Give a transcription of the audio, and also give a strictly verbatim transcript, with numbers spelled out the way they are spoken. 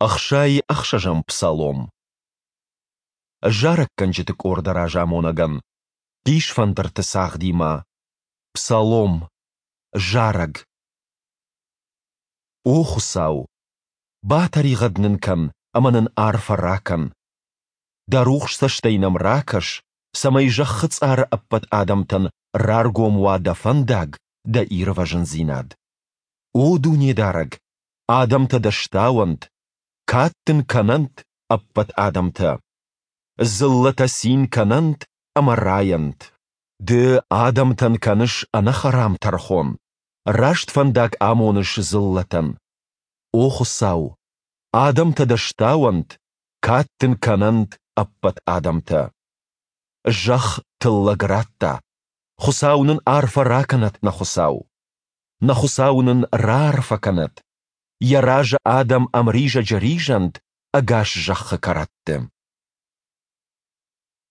Ӕхсай ӕхсӕзӕм псалом. Зарӕггӕнджыты къорды разамонӕгӕн. Хъисфӕндырты цагъдимӕ. Псалом. Зарӕг. О Хуыцау, батӕригъӕд нын кӕн ӕмӕ нын арфӕ ракӕн. Дӕ рухс цӕстӕй нӕм ракӕс, цӕмӕй зӕххы цъары ӕппӕт адӕмтӕн раргом уа Дӕ фӕндаг, Дӕ ирвӕзындзинад. О Дунедарӕг, адӕмтӕ Дӕ стауӕнт, кад Дын кӕнӕнт ӕппӕт адӕмтӕ. Дзыллӕтӕ цин кӕнӕнт ӕмӕ райӕнт. Ды адӕмтӕн кӕныс ӕнӕхӕрам тӕрхон, раст фӕндаг амоныс дзыллӕтӕн. О Хуыцау, адӕмтӕ Дӕ стауӕнт, кад Дын кӕнӕнт ӕппӕт адӕмтӕ. Зӕхх тыллӕг радта, Хуыцау нын арфӕ ракӕнӕд нӕ Хуыцау. Нӕ Хуыцау нын раарфӕ кӕнӕд, Йӕ разы адӕм ӕмризӕджы ризӕнт ӕгас зӕххы кӕрӕтты.